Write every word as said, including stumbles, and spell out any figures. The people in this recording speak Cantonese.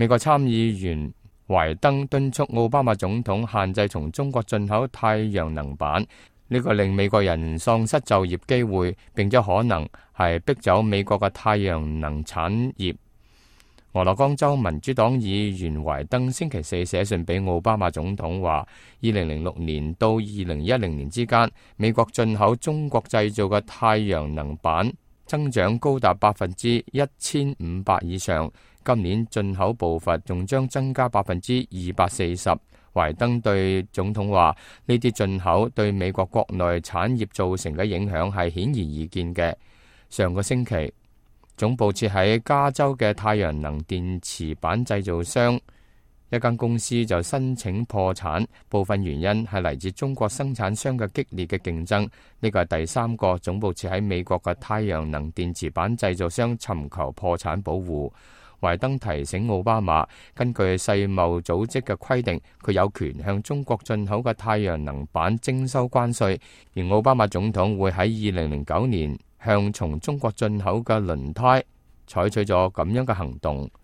美國參議員懷登敦促奧巴馬總統限制從中國進口太陽能板，呢個令美國人喪失就業機會，並且可能係逼走美國嘅太陽能產業。俄勒岡州民主黨議員懷登星期四寫信俾奧巴馬總統話，二零零六年到二零一零年之間，美國進口中國製造嘅太陽能板增長高達百分之一千五百以上，今年進口步伐仲將增加百分之二百四十。懷登對總統話，呢啲進口對美國國內產業造成嘅影響係顯而易見嘅。上個星期，總部設喺加州嘅太陽能電池板製造商一間公司就申請破產，部分原因係嚟自中國生產商嘅激烈嘅競爭。呢個係第三個總部設喺美國嘅太陽能電池板製造商尋求破產保護。懷登提醒奧巴馬，根據世貿組織嘅規定，佢有權向中國進口嘅太陽能板徵收關稅，而奧巴馬總統會喺二零零九年向從中國進口嘅輪胎採取咗咁樣嘅行動。